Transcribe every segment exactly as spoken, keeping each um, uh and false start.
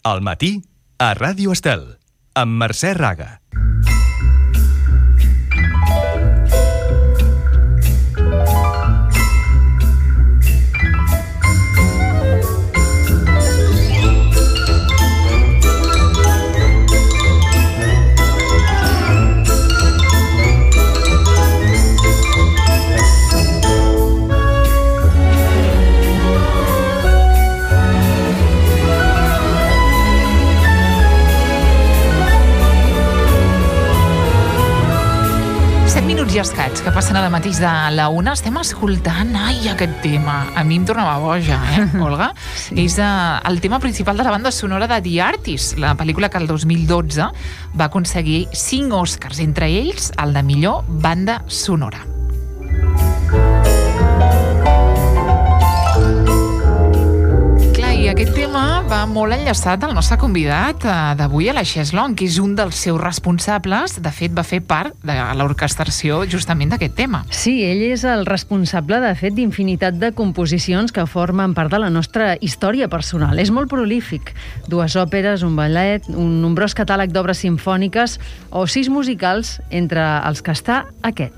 Al matí, a Ràdio Estel, amb Mercè Raga. I escaig, que passen ara mateix de la una, estem escoltant, ai, aquest tema. A mi em tornava boja, eh, Olga? Sí. És uh, el tema principal de la banda sonora de The Artist, la pel·lícula que el dos mil dotze va aconseguir cinc Oscars, entre ells el de millor banda sonora. I aquest tema va molt enllaçat al nostre convidat d'avui, a la Cheslong, que és un dels seus responsables. De fet, va fer part de l'orquestració justament d'aquest tema. Sí, ell és el responsable, de fet, d'infinitat de composicions que formen part de la nostra història personal. És molt prolífic. Dues òperes, un ballet, un nombrós catàleg d'obres simfòniques o sis musicals, entre els que està aquest.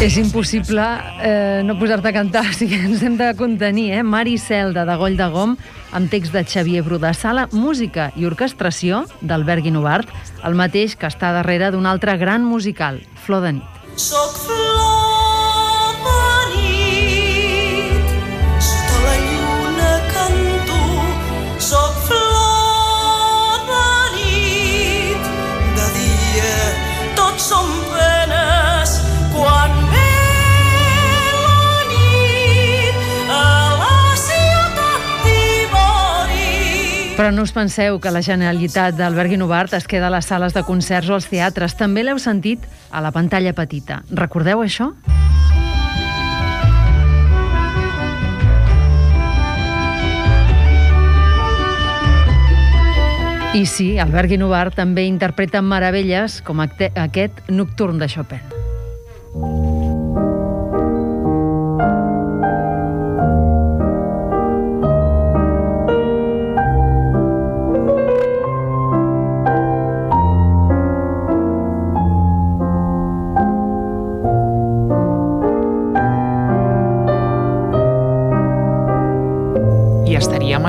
És impossible eh, no posar-te a cantar, o sigui, ens hem de contenir, eh? Mar i Celda, de Goll de Gom, amb text de Xavier Bru de Sala, música i orquestració d'Albert Guinovart, el mateix que està darrere d'un altre gran musical, Flor de nit. Soc flor de nit, sota la lluna canto, soc flor de nit, de dia tots som penes, quan Però no us penseu que la genialitat d'Albert Guinovart es queda a les sales de concerts o als teatres. També l'heu sentit a la pantalla petita. Recordeu això? I sí, Albert Guinovart també interpreta meravelles com aquest Nocturn de Chopin.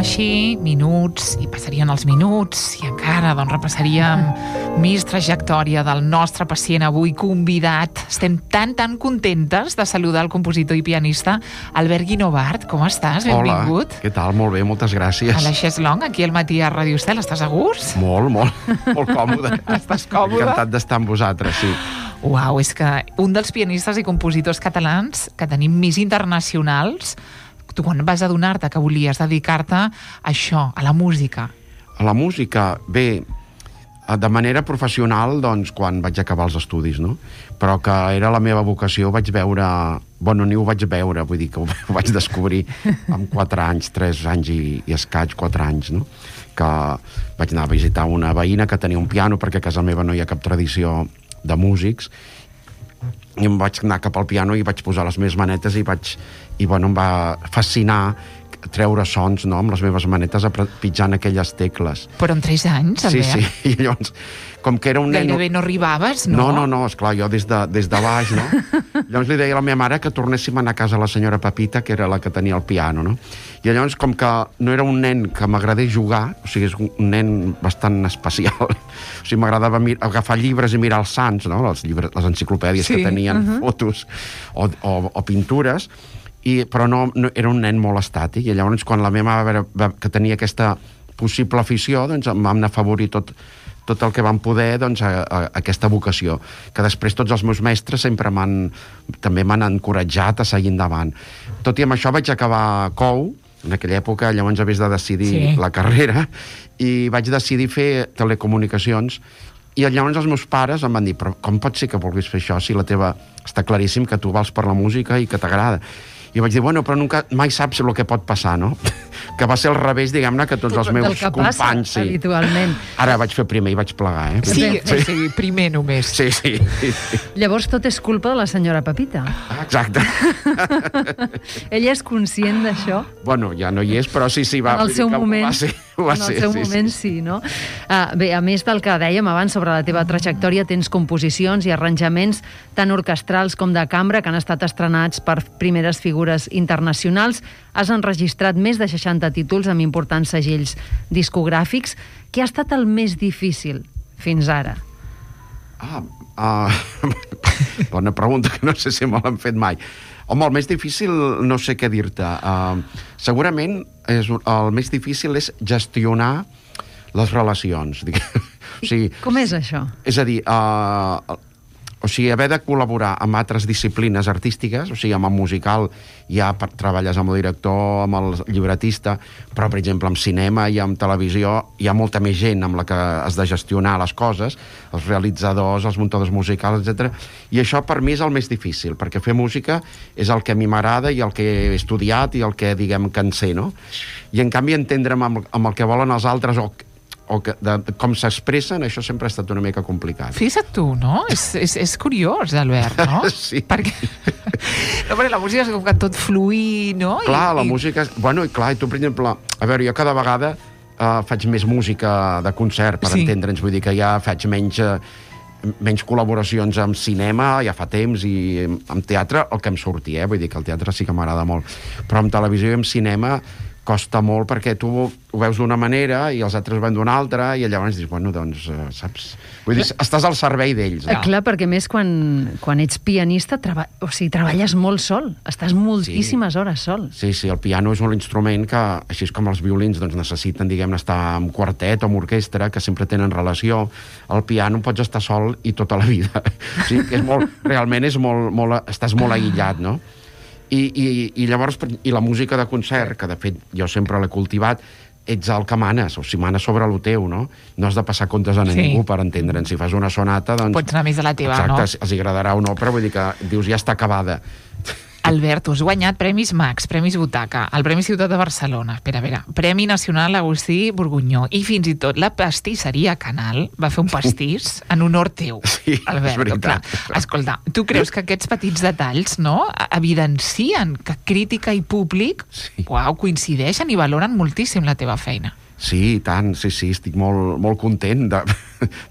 Així, minuts, i passarien els minuts, i encara doncs, repassaríem més trajectòria del nostre pacient avui convidat. Estem tan, tan contentes de saludar el compositor i pianista Albert Guinovart. Com estàs? Benvingut. Hola, què tal? Molt bé, moltes gràcies. A la Cheslong, aquí al matí a Ràdio Estel. Estàs a gust? Molt, molt, molt còmode. Estàs còmode? Encantat d'estar amb vosaltres, sí. Uau, és que un dels pianistes i compositors catalans que tenim més internacionals. Tu quan vas adonar-te que volies dedicar-te a això, a la música? A la música, bé, de manera professional, doncs, quan vaig acabar els estudis, no? Però que era la meva vocació, ho vaig veure... Bueno, ni ho vaig veure, vull dir que ho vaig descobrir amb quatre anys, tres anys i, i escaig, quatre anys, no? Que vaig anar a visitar una veïna que tenia un piano, perquè a casa meva no hi ha cap tradició de músics, i em vaig anar cap al piano i vaig posar les meves manetes i vaig... i bueno, em va fascinar treure sons, no?, amb les meves manetes pitjant aquelles tecles. Però amb tres anys, Albert? Sí, sí, i llavors, com que era un nen... Gairebé no arribaves, no? No, no, no, esclar, jo des de, des de baix, no? Llavors li deia a la meva mare que tornéssim a anar a casa a la senyora Pepita, que era la que tenia el piano, no? I llavors, com que no era un nen que m'agradés jugar, o sigui, és un nen bastant especial, o sigui, m'agradava agafar llibres i mirar els sants, no?, les, llibres, les enciclopèdies sí, que tenien uh-huh. fotos o, o, o pintures, I, però no, no, era un nen molt estàtic, i llavors quan la meva mare va, que tenia aquesta possible afició, doncs em vam afavorir tot, tot el que vam poder, doncs, a, a, a aquesta vocació, que després tots els meus mestres sempre m'han, també m'han encoratjat a seguir endavant. Tot i amb això vaig acabar cou, en aquella època, llavors havies de decidir sí. la carrera, i vaig decidir fer telecomunicacions, i llavors els meus pares em van dir, però com pot ser que vulguis fer això si la teva... està claríssim que tu vals per la música i que t'agrada. I vaig dir, bueno, però nunca, mai saps el que pot passar, no? Que va ser al revés, diguem-ne, que tots els meus Del que companys... passa, sí. habitualment. Ara vaig fer primer i vaig plegar, eh? Sí, sí, sí, primer només. Sí, sí. Llavors tot és culpa de la senyora Pepita. Exacte. Ella és conscient d'això? Bueno, ja no hi és, però sí, sí, va... En el seu moment, va ser, va en el ser, seu sí, moment sí. sí, no? Ah, bé, a més del que dèiem abans sobre la teva trajectòria, tens composicions i arranjaments tant orquestrals com de cambra que han estat estrenats per primeres figures internacionals. Has enregistrat més de seixanta títols amb importants segells discogràfics. Què ha estat el més difícil fins ara? Ah, uh, bona pregunta, que no sé si me l'han fet mai. Home, el més difícil no sé què dir-te. Uh, segurament és, el més difícil és gestionar les relacions. O sigui, Com és això? és a dir, uh, o sigui, haver de col·laborar amb altres disciplines artístiques, o sigui, amb el musical ja treballes amb el director, amb el llibretista, però, per exemple, amb cinema i amb televisió hi ha molta més gent amb la que has de gestionar les coses, els realitzadors, els muntadors musicals, etcètera. I això per mi és el més difícil, perquè fer música és el que a mi m'agrada i el que he estudiat i el que, diguem, que en sé, no? I, en canvi, entendre'm amb, amb el que volen els altres o o que, de, de com s'expressen, això sempre ha estat una mica complicat. Fixa't tu, no? És, és, és curiós, Albert, no? Sí. Perquè, no, perquè la música és com que tot fluir, no? Clar, I, la i... música... És... Bueno, i clar, i tu, per exemple... A veure, jo cada vegada uh, faig més música de concert, per Sí. entendre'ns. Vull dir que ja faig menys... Uh, menys col·laboracions amb cinema, ja fa temps, i amb teatre, el que em surti, eh? Vull dir que el teatre sí que m'agrada molt. Però amb televisió i amb cinema costa molt perquè tu ho veus d'una manera i els altres ho veuen d'una altra i llavors dius, bueno, doncs, uh, saps? Vull dir, estàs al servei d'ells. Eh, clar, perquè més quan, quan ets pianista, treba... o sigui, treballes molt sol, estàs moltíssimes sí. hores sol. Sí, sí, el piano és un instrument que, així com els violins, doncs necessiten, diguem, estar amb quartet o amb orquestra, que sempre tenen relació. El piano pots estar sol i tota la vida. O sigui, que és molt, realment és molt, molt, estàs molt aïllat, no? I, i, i llavors, i la música de concert, que de fet jo sempre l'he cultivat, ets el que manes, o si manes sobre el teu, no? No has de passar comptes a Sí. ningú per entendre'n. Si fas una sonata, doncs... Pots anar més a la teva, exacte, no? els, els agradarà o no, però vull dir que dius, ja està acabada. Albert, tu has guanyat Premis Max, Premis Butaca, el Premi Ciutat de Barcelona, espera, espera, Premi Nacional Agustí Borgunyó, i fins i tot la pastisseria Canal va fer un pastís en honor teu, Sí, Albert. és veritat. Clar, escolta, tu creus que aquests petits detalls, no?, evidencien que crítica i públic, Sí. uau, coincideixen i valoren moltíssim la teva feina. Sí, i tant, sí, sí, estic molt, molt content de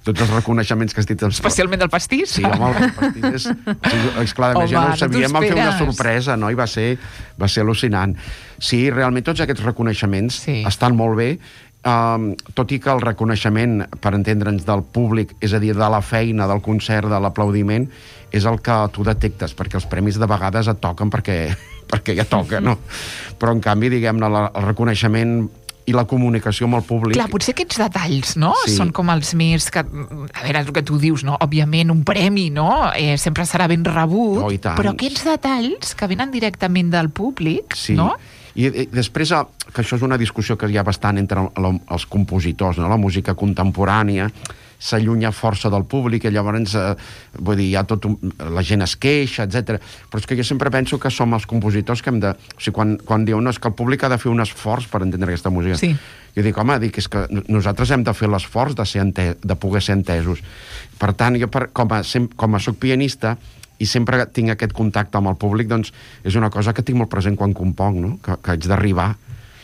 tots els reconeixements que has dit. Especialment del pastís? Sí, home, el pastís és... Sí, esclar, Home, ja no no ho sabíem, t'ho vam fer una esperes. sorpresa, no? I va ser, va ser al·lucinant. Sí, realment tots aquests reconeixements Sí. estan molt bé, um, tot i que el reconeixement, per entendre'ns, del públic, és a dir, de la feina, del concert, de l'aplaudiment, és el que tu detectes, perquè els premis de vegades et toquen perquè, perquè ja toca, no? Però, en canvi, diguem-ne, la- el reconeixement i la comunicació amb el públic... Clar, potser aquests detalls, no?, Sí. són com els més... Que, a veure, és el que tu dius, no? Òbviament, un premi, no?, eh, sempre serà ben rebut, Oh, i tant. però aquests detalls que venen directament del públic, Sí. no? I, i després, eh, que això és una discussió que hi ha bastant entre la, els compositors, no? La música contemporània s'allunya força del públic i llavors, eh, vull dir, hi ha tot un, la gent es queixa, etcètera. Però és que jo sempre penso que som els compositors que hem de... O sigui, quan, quan diuen no, és que el públic ha de fer un esforç per entendre aquesta música. Sí. Jo dic, home, dic, és que nosaltres hem de fer l'esforç de, ser ente, de poder ser entesos. Per tant, jo per, com, a, sem, com a soc pianista i sempre tinc aquest contacte amb el públic, doncs és una cosa que tinc molt present quan componc, no? Que, que haig d'arribar.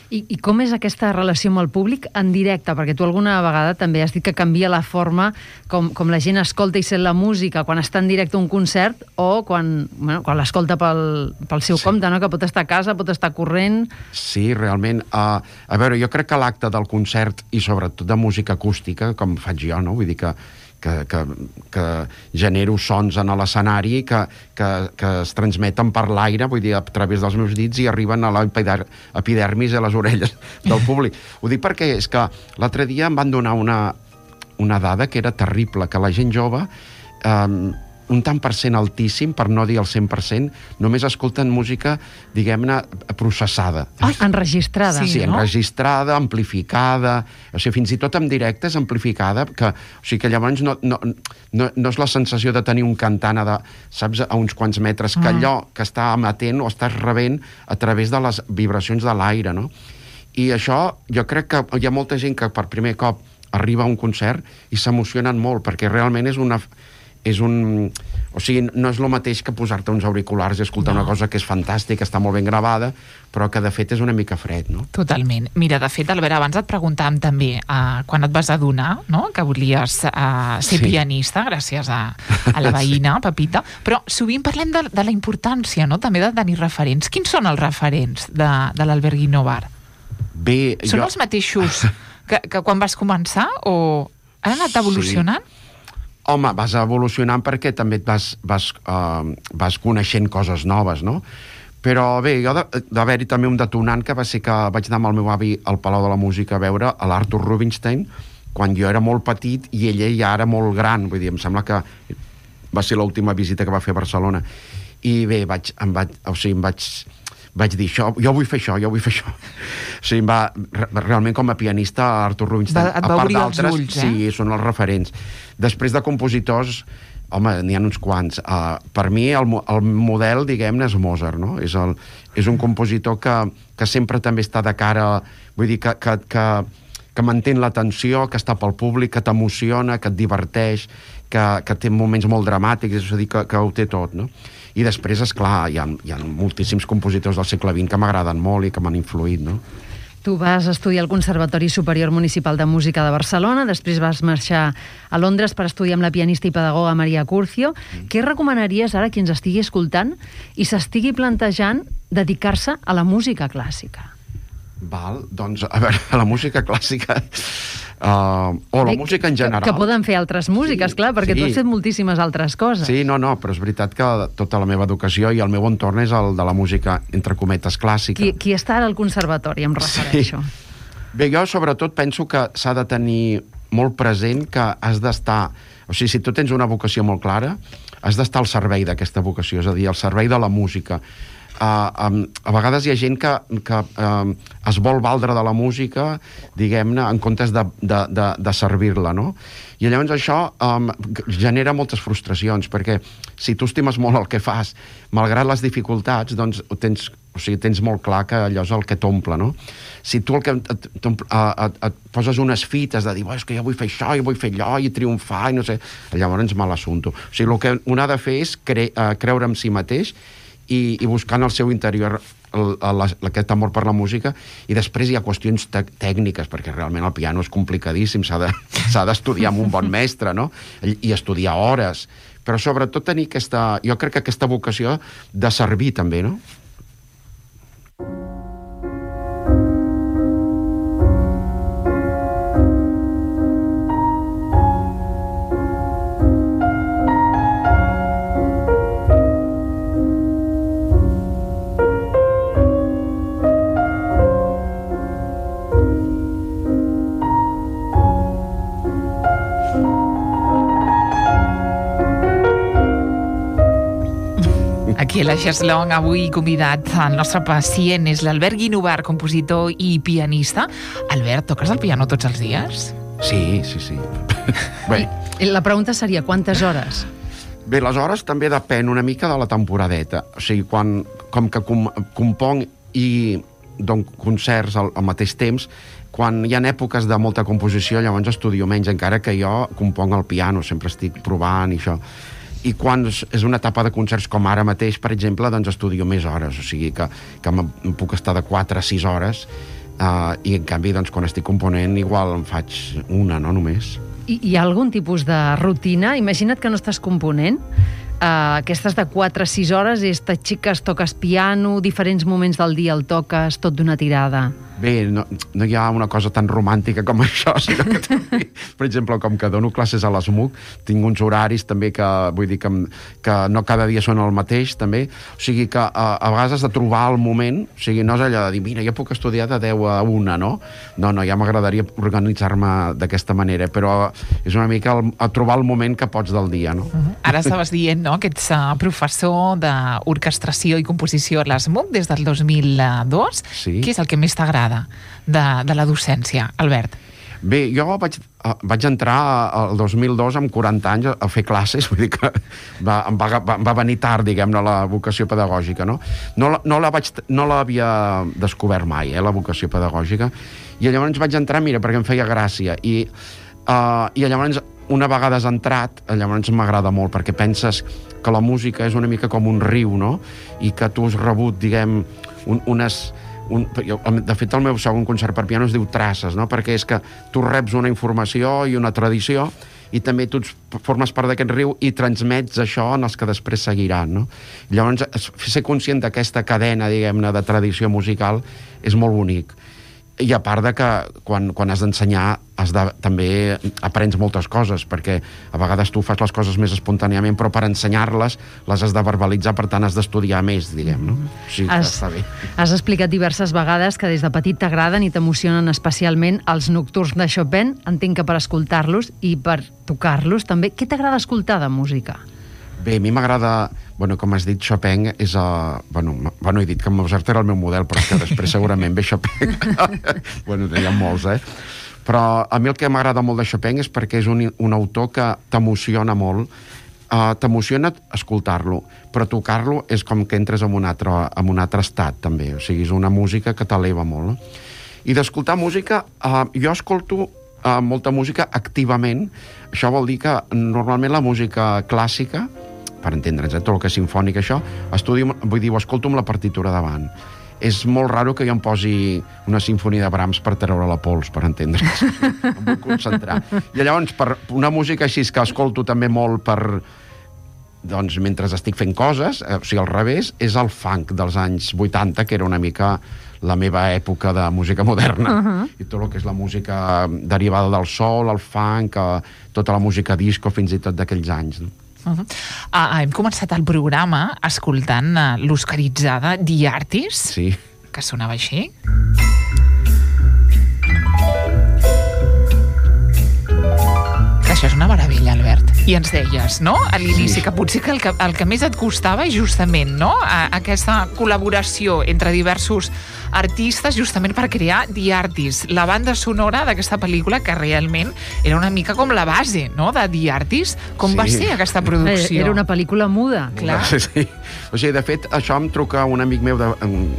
I, I com és aquesta relació amb el públic en directe? Perquè tu alguna vegada també has dit que canvia la forma com, com la gent escolta i sent la música quan està en directe a un concert o quan, bueno, quan l'escolta pel, pel seu Sí. compte, no? Que pot estar a casa, pot estar corrent... Sí, realment. Uh, a veure, jo crec que l'acte del concert i sobretot de música acústica, com faig jo, no? Vull dir que que, que, que genero sons en l'escenari que, que, que es transmeten per l'aire, vull dir, a través dels meus dits i arriben a l'epidermis i a les orelles del públic. Ho dic perquè és que l'altre dia em van donar una, una dada que era terrible, que la gent jove eh, un tant per cent altíssim, per no dir el cent per cent, només escolten música, diguem-ne, processada. Ai, enregistrada. Sí, sí, no? enregistrada, amplificada, o sigui, fins i tot en directe és amplificada, que, o sigui, que llavors no, no, no, no és la sensació de tenir un cantant a, de, saps, a uns quants metres, que allò que està emetent o estàs rebent a través de les vibracions de l'aire, no? I això, jo crec que hi ha molta gent que per primer cop arriba a un concert i s'emocionen molt, perquè realment és una... és un... O sigui, no és el mateix que posar-te uns auriculars i escoltar no. una cosa que és fantàstica, està molt ben gravada, però que de fet és una mica fred, no? Totalment. Mira, de fet, Albert, abans et preguntàvem també, uh, quan et vas adonar, no?, que volies uh, ser sí. pianista, gràcies a, a la veïna, sí. Pepita, però sovint parlem de, de la importància, no?, també de tenir referents. Quins són els referents de, de l'Albert Guinovart? Bé, són jo... els mateixos que, que quan vas començar o han anat evolucionant? Sí. Home, vas evolucionant perquè també et vas, vas, uh, vas coneixent coses noves, no? Però bé, jo d'haver-hi també un detonant que va ser que vaig anar amb el meu avi al Palau de la Música a veure a l'Arthur Rubinstein quan jo era molt petit i ella ja era molt gran, vull dir, em sembla que va ser l'última visita que va fer a Barcelona. I bé, vaig, em vaig, o sigui, em vaig... vaig dir, això, jo vull fer això, jo vull fer això. O sigui, va, realment com a pianista, Arthur Rubinstein, va, a part d'altres, ulls, eh? sí, són els referents. Després de compositors, home, n'hi ha uns quants. Uh, per mi, el, el model, diguem-ne, és Mozart, no? És, el, és un compositor que, que sempre també està de cara, vull dir, que, que, que, que mantén l'atenció, que està pel públic, que t'emociona, que et diverteix, que, que té moments molt dramàtics, és a dir, que, que ho té tot, no? I després, esclar, hi ha, hi ha moltíssims compositors del segle vint que m'agraden molt i que m'han influït, no? Tu vas estudiar al Conservatori Superior Municipal de Música de Barcelona, després vas marxar a Londres per estudiar amb la pianista i pedagoga Maria Curcio. Mm. Què recomanaries ara a qui ens estigui escoltant i s'estigui plantejant dedicar-se a la música clàssica? Val, doncs, a veure, a la música clàssica... Uh, o la Bé, música en general. Que, que poden fer altres músiques, sí, clar, perquè sí. Tu has fet moltíssimes altres coses. Sí, no, no, però és veritat que tota la meva educació i el meu entorn és el de la música, entre cometes, clàssica. Qui, qui està ara al conservatori, em refereixo. Sí. Bé, jo sobretot penso que s'ha de tenir molt present que has d'estar... O sigui, si tu tens una vocació molt clara, has d'estar al servei d'aquesta vocació, és a dir, al servei de la música. Uh, um, a vegades hi ha gent que, que uh, es vol valdre de la música, diguem-ne, en comptes de, de, de, de servir-la, no? I llavors això um, genera moltes frustracions, perquè si tu estimes molt el que fas, malgrat les dificultats, doncs tens, o sigui, tens molt clar que allò és el que t'omple, no? Si tu el que et, et, et, et poses unes fites de dir, és que jo vull fer això, jo vull fer allò, i triomfar, i no sé, llavors mal assumpto. O sigui, el que un ha de fer és cre, uh, creure en si mateix i, i buscant al seu interior el, el, aquest amor per la música, i després hi ha qüestions te tècniques, perquè realment el piano és complicadíssim, s'ha de, s'ha d'estudiar amb un bon mestre, no? I estudiar hores, però sobretot tenir aquesta, jo crec que aquesta vocació de servir també, no? Aquí a la Xeslong, avui convidat, el nostre pacient és l'Albert Guinovart, compositor i pianista. Albert, toques el piano tots els dies? Sí, sí, sí. Bé. I la pregunta seria, quantes hores? Bé, les hores també depèn una mica de la temporadeta. O sigui, quan, com que com, compong i dono concerts al, al mateix temps, quan hi ha èpoques de molta composició, llavors estudio menys, encara que jo compong al piano, sempre estic provant i això. I quan és una etapa de concerts com ara mateix, per exemple, doncs estudio més hores, o sigui que, que em puc estar de quatre a sis hores, uh, i en canvi, doncs, quan estic component, igual em faig una, no només. I hi ha algun tipus de rutina? Imagina't que no estàs component, uh, aquestes de quatre a sis hores és t'aixeques, toques piano, diferents moments del dia el toques, tot d'una tirada. Bé, no, no hi ha una cosa tan romàntica com això, sinó que també, per exemple, com que dono classes a l'S M U C, tinc uns horaris també que, vull dir, que, que no cada dia són el mateix, també. O sigui que a, a vegades has de trobar el moment, o sigui, no és allò de dir, mira, jo puc estudiar de deu a una, no? No, no, ja m'agradaria organitzar-me d'aquesta manera, però és una mica el, a trobar el moment que pots del dia, no? Uh-huh. Ara estaves dient, no?, que ets uh, professor d'orquestració i composició a l'S M U C des del dos mil dos. Sí. Què és el que més t'agrada de, de la docència, Albert? Bé, jo vaig, vaig entrar el dos mil dos amb quaranta anys a fer classes, vull dir que va, em va, va, va venir tard, diguem-ne, la vocació pedagògica, no? No, no la vaig, no l'havia descobert mai, eh, la vocació pedagògica, i llavors vaig entrar, mira, perquè em feia gràcia, i, uh, i llavors una vegada has entrat, llavors m'agrada molt, perquè penses que la música és una mica com un riu, no? I que tu has rebut, diguem, un, unes... Un, de fet, el meu segon concert per piano es diu Traces, no? Perquè és que tu reps una informació i una tradició i també tu formes part d'aquest riu i transmets això en els que després seguiran, no? Llavors, ser conscient d'aquesta cadena, diguem-ne, de tradició musical és molt bonic. I a part de que quan, quan has d'ensenyar has de, també aprens moltes coses, perquè a vegades tu fas les coses més espontàniament, però per ensenyar-les les has de verbalitzar, per tant has d'estudiar més, diguem, no? O sigui, has, està bé. Has explicat diverses vegades que des de petit t'agraden i t'emocionen especialment els nocturns de Chopin. Entenc que per escoltar-los i per tocar-los també. Què t'agrada escoltar de música? Bé, a mi m'agrada, bueno, com has dit, Chopin és... Uh, bueno, bueno, he dit que Mozart era el meu model, però és que després segurament ve Chopin. Bueno, n'hi ha molts, eh? Però a mi el que m'agrada molt de Chopin és perquè és un, un autor que t'emociona molt, uh, t'emociona escoltar-lo, però tocar-lo és com que entres en un, altre, en un altre estat, també. O sigui, és una música que t'eleva molt, no? I d'escoltar música, uh, jo escolto uh, molta música activament. Això vol dir que normalment la música clàssica, per entendre'ns, eh, tot el que és simfònic, això, estudio, vull dir, ho escolto amb la partitura davant. És molt raro que jo em posi una sinfonia de Brahms per treure la pols, per entendre'ns. Em vull concentrar. I llavors, per una música així que escolto també molt per... Doncs mentre estic fent coses, eh, o sigui, al revés, és el funk dels anys vuitanta, que era una mica la meva època de música moderna. Uh-huh. I tot el que és la música derivada del soul, el funk, eh, tota la música disco, fins i tot d'aquells anys, no? Uh-huh. Ah, hem començat el programa escoltant uh, l'oscaritzada The Artist, sí, que sonava així. Això és una meravella, Albert. I ens deies, no?, a l'inici, sí, que potser que el, que el que més et costava és justament, no?, a, aquesta col·laboració entre diversos artistes justament per crear The Artist, la banda sonora d'aquesta pel·lícula que realment era una mica com la base, no?, de The Artist. Com sí. va ser aquesta producció? Era una pel·lícula muda. Clar. Sí. O sigui, de fet, això em truca un amic meu de,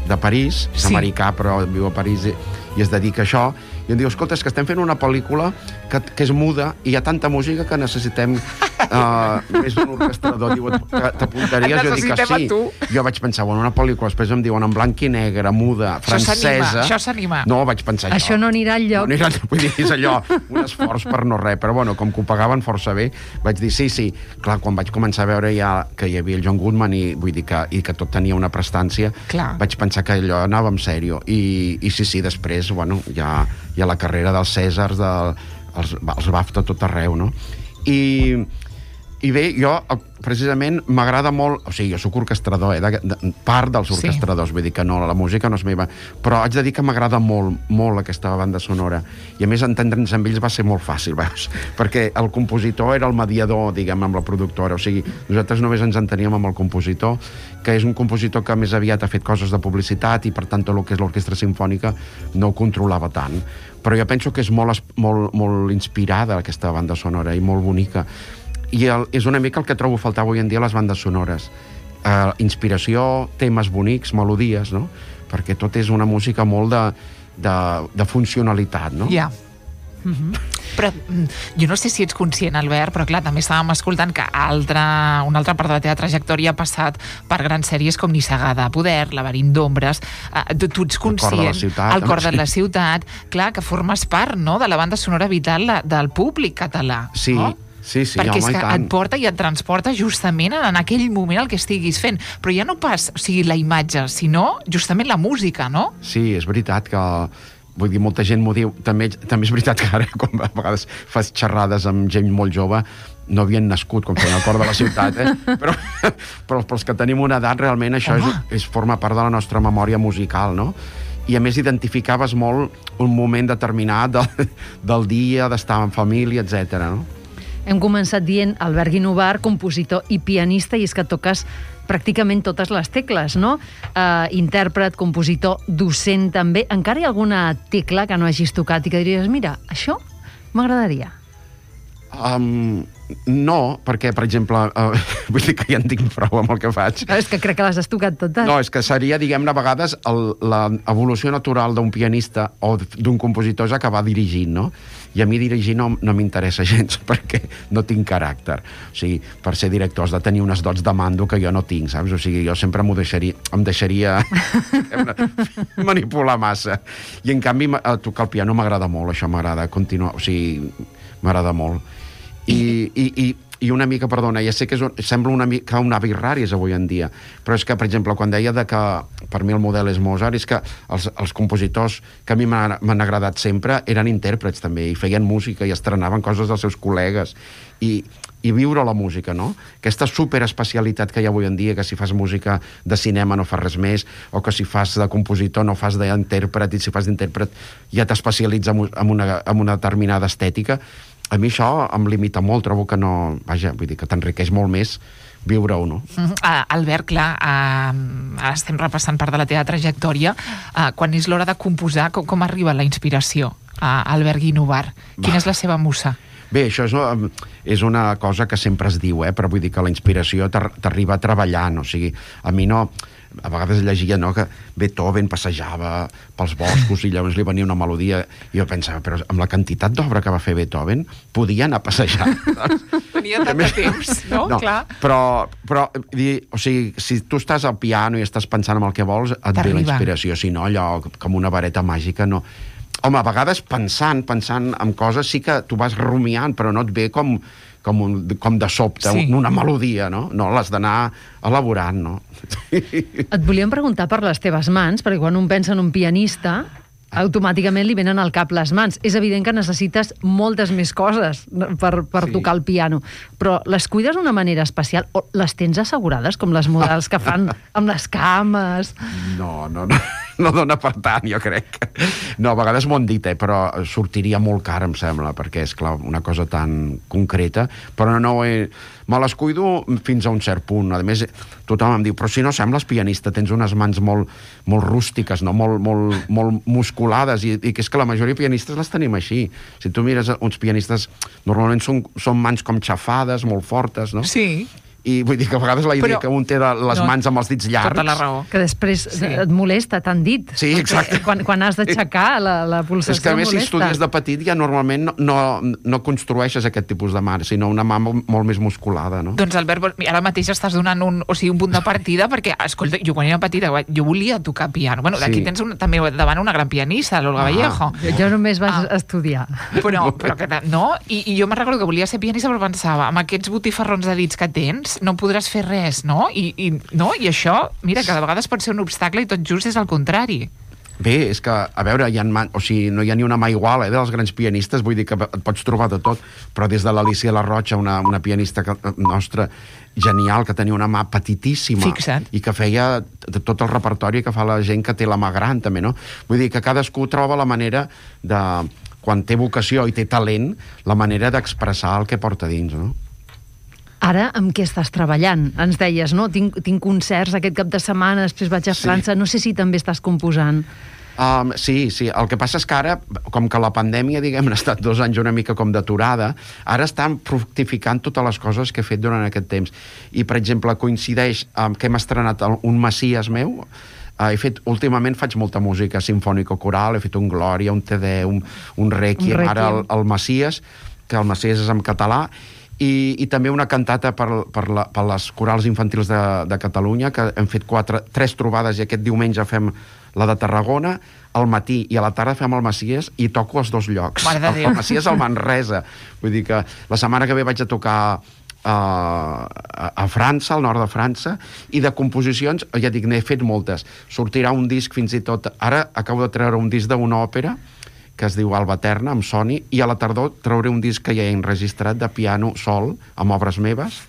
de París, és sí. americà, però viu a París i, i es dedica a això, i em diu, escolta, és que estem fent una pel·lícula que, que és muda i hi ha tanta música que necessitem uh, més d'un orquestrador. Diu, t'apuntaries? Jo dic que sí. Jo vaig pensar, bueno, una pel·lícula, després em diuen en blanc i negre, muda, francesa... Això s'anima. No, vaig pensar això. Això no anirà enlloc. No anirà, vull dir, és allò, un esforç per no res, però bueno, com que ho pagaven força bé, vaig dir, sí, sí. Clar, quan vaig començar a veure ja que hi havia el John Goodman i vull dir que, i que tot tenia una prestància, clar, vaig pensar que allò anava en sèrio. I, i sí, sí, després, bueno, ja... i a la carrera dels Cèsars, de, els, els BAFTA tot arreu, no? I, i bé, jo precisament m'agrada molt, o sigui, jo soc orquestrador, eh, de, de, part dels orquestradors, sí. Vull dir que no, la música no és meva, però haig de dir que m'agrada molt, molt aquesta banda sonora, i a més entendre'ns amb ells va ser molt fàcil, veus? Perquè el compositor era el mediador, diguem, amb la productora, o sigui, nosaltres només ens enteníem amb el compositor, que és un compositor que més aviat ha fet coses de publicitat i per tant tot el que és l'orquestra simfònica no ho controlava tant, però jo penso que és molt, molt, molt inspirada aquesta banda sonora i molt bonica. I el, és una mica el que trobo faltar avui en dia a les bandes sonores. Uh, inspiració, temes bonics, melodies, no? Perquè tot és una música molt de, de, de funcionalitat, no? Ja. Yeah. Mm-hmm. Però jo no sé si ets conscient, Albert, però clar, també estàvem escoltant que altra, una altra part de la teva trajectòria ha passat per grans sèries com Nissaga de Poder, Laberint d'ombres, uh, tu, tu ets conscient, El cor de la ciutat, el cor de la ciutat, clar, que formes part, no?, de la banda sonora vital del públic català, sí. no? Sí, sí, perquè home, és i que tant. et porta i et transporta justament en aquell moment el que estiguis fent. Però ja no pas, o sigui, la imatge, sinó justament la música, no? Sí, és veritat que... Vull dir, molta gent m'ho diu. També, també és veritat que ara, com a vegades fas xerrades amb gent molt jove, no havien nascut, com feien al cor de la ciutat, eh? Però, però pels que tenim una edat, realment això és, és, forma part de la nostra memòria musical, no? I a més identificaves molt un moment determinat del, del dia, d'estar en família, etcètera, no? Hem començat dient Albert Guinovar, compositor i pianista, i és que toques pràcticament totes les tecles, no? Uh, intèrpret, compositor, docent també. Encara hi ha alguna tecla que no hagis tocat i que diries, mira, això m'agradaria? Um, no, perquè, per exemple, uh, vull dir que ja en tinc prou amb el que faig. Però és que crec que les has tocat totes. No, és que seria, diguem-ne, a vegades l'evolució natural d'un pianista o d'un compositor és acabar dirigint, no? I a mi dirigir no, no m'interessa gens, perquè no tinc caràcter. O sigui, per ser director has de tenir unes dots de mando que jo no tinc, saps? O sigui, jo sempre m'ho deixaria, em deixaria manipular massa. I, en canvi, tocar el piano m'agrada molt, això m'agrada continuar, o sigui, m'agrada molt. I, i, i, i una mica, perdona, ja sé que és un, sembla una mica un avi raris avui en dia, però és que, per exemple, quan deia de que per mi el model és Mozart, és que els, els compositors que a mi m'han agradat sempre eren intèrprets també, i feien música i estrenaven coses dels seus col·legues, i, i viure la música, no? Aquesta superespecialitat que hi ha avui en dia, que si fas música de cinema no fas res més, o que si fas de compositor no fas d'intèrpret, i si fas d'intèrpret ja t'especialitza en una, en una determinada estètica. A mi això em limita molt, trobo que no... Vaja, vull dir que t'enriqueix molt més viure-ho, no? Uh, Albert, clar, uh, ara estem repassant part de la teva trajectòria. Uh, quan és l'hora de composar, com, com arriba la inspiració a Albert Guinovar? Quina Va. és la seva musa? Bé, això és, és una cosa que sempre es diu, eh? Però vull dir que la inspiració t'arriba treballant, o sigui, a mi no... A vegades llegia, no?, que Beethoven passejava pels boscos i llavors li venia una melodia, i jo pensava, però amb la quantitat d'obra que va fer Beethoven podia anar a passejar. Tenia tant de temps, no? No, clar. però, però o sigui, si tu estàs al piano i estàs pensant en el que vols, et ve la inspiració, si no, allò com una vareta màgica, no. Home, a vegades pensant, pensant en coses sí que tu vas rumiant, però no et ve com... Com, un, com de sobte, sí. una melodia, no? No, l'has d'anar elaborant, no? Et volíem preguntar per les teves mans, perquè quan un pensa en un pianista, automàticament li venen al cap les mans. És evident que necessites moltes més coses per, per sí. tocar el piano, però les cuides d'una manera especial o les tens assegurades, com les models que fan amb les cames? No, no, no. No dona per tant, jo crec. No, a vegades m'ho han dit, eh, però sortiria molt car, em sembla, perquè és, clar, una cosa tan concreta, però no he... Me les cuido fins a un cert punt. A més, tothom em diu, però si no sembles pianista, tens unes mans molt, molt rústiques, no? molt, molt, molt musculades, i, i que és que la majoria de pianistes les tenim així. Si tu mires uns pianistes, normalment són, són mans com xafades, molt fortes, no? Sí. I vull dir que a vegades la idea però, que un té de les no, mans amb els dits llargs... Tota la raó. Que després sí. et molesta, t'han dit. Sí, exacte. Quan, quan has d'aixecar la, la pulsació molesta. És que a més, molesta. Si estudies de petit, ja normalment no, no, no construeixes aquest tipus de mà, sinó una mà molt, molt més musculada, no? Doncs, Albert, ara mateix estàs donant un, o sigui, un punt de partida, perquè, escolta, jo quan era petita, jo volia tocar piano. Bueno, d'aquí sí. tens un, també davant una gran pianista, l'Olga ah. Vallejo. Jo, jo només vaig ah. estudiar. Però, però que, no? I, I jo me'n recordo que volia ser pianista, però pensava, amb aquests botifarrons de dits que tens, no podràs fer res, no? I, i, no? I això, mira, que de vegades pot ser un obstacle i tot just és el contrari. Bé, és que, a veure, hi ha man... o sigui, no hi ha ni una mà igual, eh, dels grans pianistes, vull dir que et pots trobar de tot, però des de l'Alicia La Rocha, una, una pianista que, nostra genial, que tenia una mà petitíssima. Fixa't. I que feia tot el repertori que fa la gent que té la mà gran, també, no? Vull dir que cadascú troba la manera de, quan té vocació i té talent, la manera d'expressar el que porta dins, no? Ara, amb què estàs treballant? Ens deies, no? Tinc, tinc concerts aquest cap de setmana, després vaig a França, sí. No sé si també estàs composant. Um, sí, sí. El que passa és que ara, com que la pandèmia, diguem, ha estat dos anys una mica com d'aturada, ara estan fructificant totes les coses que he fet durant aquest temps. I, per exemple, coincideix amb que hem estrenat un Messies meu. Uh, he fet, últimament faig molta música sinfònico-coral, he fet un Glòria, un Te Deum, un Requiem, un Requiem. Ara el, el Messies, que el Messies és en català, i, i també una cantata per, per, la, per les corals infantils de, de Catalunya, que hem fet quatre, tres trobades i aquest diumenge fem la de Tarragona, al matí i a la tarda fem el Messies i toco els dos llocs. Mare de el, Déu. el Messies al Manresa. Vull dir que la setmana que ve vaig a tocar uh, a, a França, al nord de França, i de composicions, ja dic, n'he fet moltes. Sortirà un disc fins i tot... Ara acabo de treure un disc d'una òpera que es diu Alba Eterna, amb Sony, i a la tardor trauré un disc que ja he enregistrat de piano sol, amb obres meves,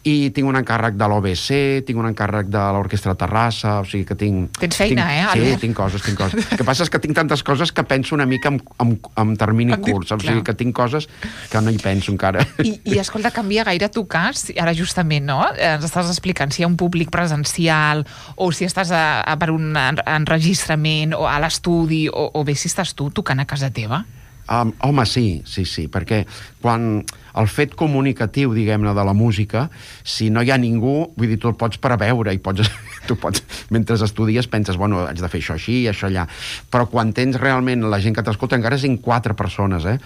i tinc un encàrrec de l'O B C, tinc un encàrrec de l'Orquestra Terrassa, o sigui que tinc... Tens feina, tinc, eh, Sí, Albert? tinc coses, tinc coses. El que passa és que tinc tantes coses que penso una mica en, en, en termini En di- curt, saps? O clar. sigui que tinc coses que no hi penso encara. I, I, escolta, canvia gaire tocar, si- ara justament, no? Ens estàs explicant si hi ha un públic presencial o si estàs a, a, per un en- enregistrament o a l'estudi o, o bé si estàs tu tocant a casa teva. Um, home, sí, sí, sí, perquè quan el fet comunicatiu, diguem-ne, de la música, si no hi ha ningú, vull dir, tu el pots preveure i pots, tu pots, mentre estudies penses, bueno, haig de fer això així, això allà, però quan tens realment la gent que t'escolta, encara siguin quatre persones, eh?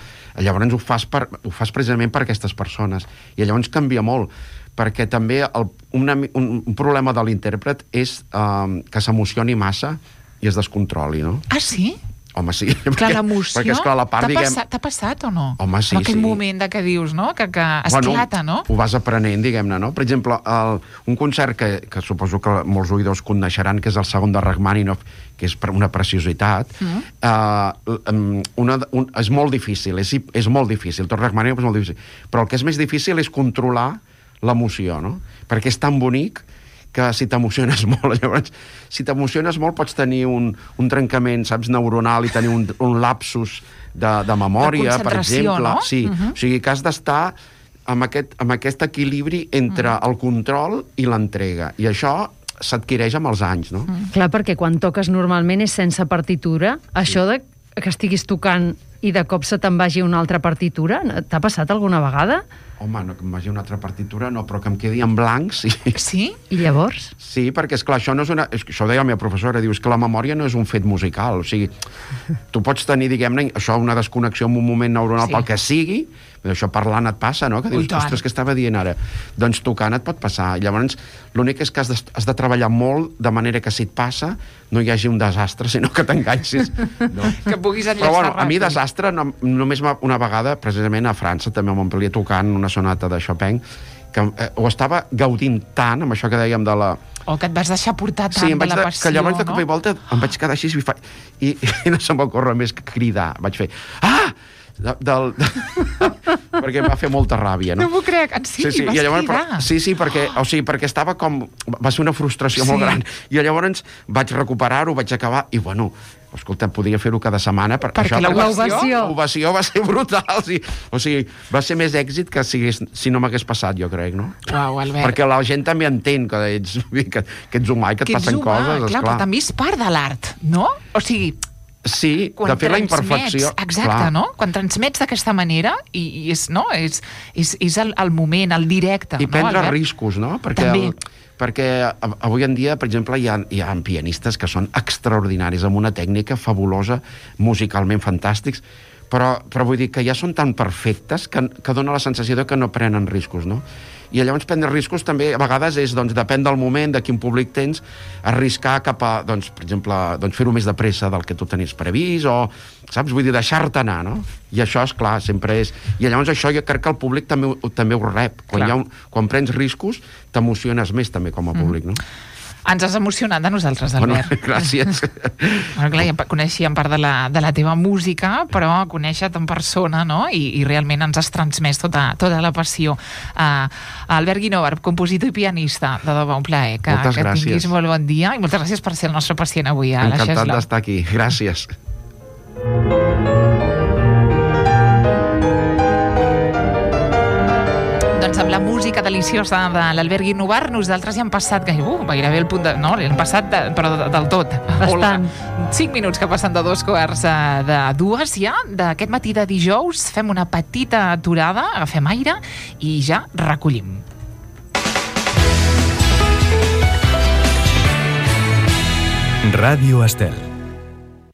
Llavors ho fas, per, ho fas precisament per aquestes persones, i llavors canvia molt, perquè també el, una, un, un problema de l'intèrpret és um, que s'emocioni massa i es descontroli, no? Ah, sí? Home, sí. Clar, perquè, l'emoció... perquè, esclar, la part, T'ha diguem... passat, t'ha passat o no? Home, sí, en aquell sí. moment de que dius, no? Que, que esclata, bueno, no? Ho vas aprenent, diguem-ne, no? Per exemple, el, un concert que, que suposo que molts oïdors coneixeran, que és el segon de Rachmaninoff, que és per una preciositat, mm. uh, una, un, és molt difícil, és, és molt difícil, tot Rachmaninoff és molt difícil, però el que és més difícil és controlar l'emoció, no? Perquè és tan bonic que si t'emociones molt, llavors, si t'emociones molt pots tenir un, un trencament, saps, neuronal i tenir un, un lapsus de, de memòria, De per concentració, exemple. no? Sí, Uh-huh. o sigui que has d'estar amb aquest, amb aquest equilibri entre Mm. el control i l'entrega. I això s'adquireix amb els anys, no? Mm. Clar, perquè quan toques normalment és sense partitura. Això de que estiguis tocant i de cop se te'n vagi una altra partitura, t'ha passat alguna vegada? Home, no que em vagi una altra partitura, no, però que em quedi en blanc, sí. Sí? I llavors? Sí, perquè, esclar, això no és una... És, això ho deia la meva professora, dius que la memòria no és un fet musical, o sigui, tu pots tenir, diguem-ne, això, una desconnexió en un moment neuronal Sí. pel que sigui, però això parlant et passa, no? Que Ui, dius, tant. ostres, què estava dient ara? Doncs tocant et pot passar. I llavors, l'únic és que has de, has de treballar molt de manera que si et passa no hi hagi un desastre, sinó que t'enganxis. No? Que puguis enllaçar Però, bueno, a mi ràpid. desastre, no, només una vegada, precisament a França, també a Montpellier, tocant una sonata de Chopin, que eh, ho estava gaudint tant, amb això que dèiem de la... O que et vas deixar portar tant Sí, em de vaig la de, passió, que llavors de no? cop i volta em vaig quedar així i, fa, i, i no se m'ocorre més que cridar. Vaig fer, ah! De, del, de, perquè em va fer molta ràbia, no? No m'ho crec, en sí, vas i llavors, cridar. però, sí, sí, perquè, o sigui, perquè estava com... Va ser una frustració Sí. molt gran. I llavors vaig recuperar-ho, vaig acabar, i bueno, escolta, podria fer-ho cada setmana. Per, Perquè això, l'ovació- l'ovació va ser brutal. Sí. O sigui, va ser més èxit que si, hagués, si no m'hagués passat, jo crec, no? Uau, Albert. Perquè la gent també entén que ets, que, que ets humà i que et Que ets passen humà, coses, clar, esclar. però també és part de l'art, no? O sigui, Sí, quan de fer la transmets, imperfecció. exacte, clar. no? Quan transmets d'aquesta manera i, i és, no? és, és, és el, el moment, el directe, I no, prendre Albert? riscos, no? Perquè, També. el, perquè a- avui en dia, per exemple, hi ha, hi ha pianistes que són extraordinaris, amb una tècnica fabulosa, musicalment fantàstics, però, però vull dir que ja són tan perfectes que, que dona la sensació de que no prenen riscos, no? I llavors prendre riscos també a vegades és, doncs, depèn del moment, de quin públic tens, arriscar cap a, doncs, per exemple, doncs, fer-ho més de pressa del que tu tenies previst, o, saps, vull dir, deixar-te anar, no? I això, és clar, sempre és... I llavors això jo crec que el públic també, ho- també ho rep. Quan, Clar. hi ha un, quan prens riscos, t'emociones més també com a públic, no? Ens has emocionat de nosaltres, Bueno, Albert. gràcies. Bueno, clar, ja coneixíem part de la, de la teva música, però conèixer-te en persona, no? I, i realment ens has transmès tota, tota la passió. Uh, Albert Guinovar, compositor i pianista, de debò, un plaer. Que, Moltes que gràcies. tinguis molt bon dia i moltes gràcies per ser el nostre pacient avui a la Encantat Xeslau. d'estar aquí. Gràcies. Doncs amb la música deliciosa de l'Albert Guinovar, nosaltres ja hem passat gairebé, uh, gairebé el punt de... No, hem passat, de, però de, del tot. Bastant. Olga, cinc minuts que passen de dos quarts eh, de dues ja, d'aquest matí de dijous. Fem una petita aturada, agafem aire i ja recollim. Ràdio Estel.